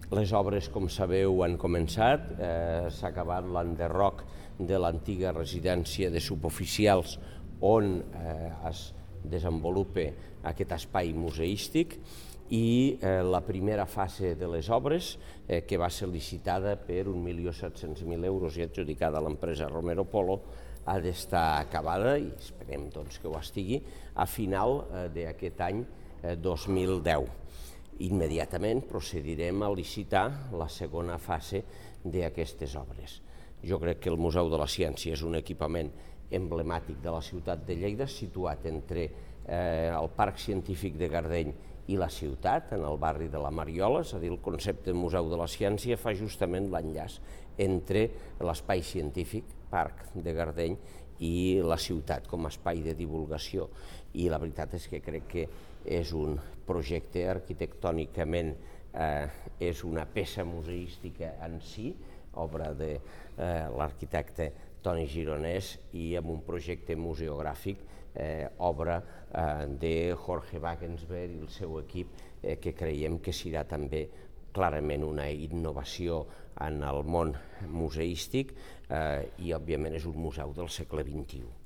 Les obres, com sabeu, han començat. S'ha acabat l'enderroc de l'antiga residència de suboficials on es desenvolupa aquest espai museístic i la primera fase de les obres, que va ser licitada per 1.700.000 euros i adjudicada a l'empresa Romero Polo, ha d'estar acabada, i esperem que ho estigui, a final d'aquest any 2010. Immediatament procedirem a licitar la segona fase d'aquestes obres. Jo crec que el Museu de la Ciència és un equipament emblemàtic de la ciutat de Lleida, situat entre el Parc Científic de Gardeny i la ciutat, en el barri de la Mariola, és a dir, el concepte Museu de la Ciència fa justament l'enllaç entre l'espai científic, Parc de Gardeny, i la ciutat com a espai de divulgació. I la veritat és que crec que és un projecte arquitectònicament, és una peça museística en si, obra de l'arquitecte Toni Gironès, i amb un projecte museogràfic, obra de Jorge Wagensberg i el seu equip, que creiem que serà també clarament una innovació en el món museístic i, òbviament, és un museu del segle XXI.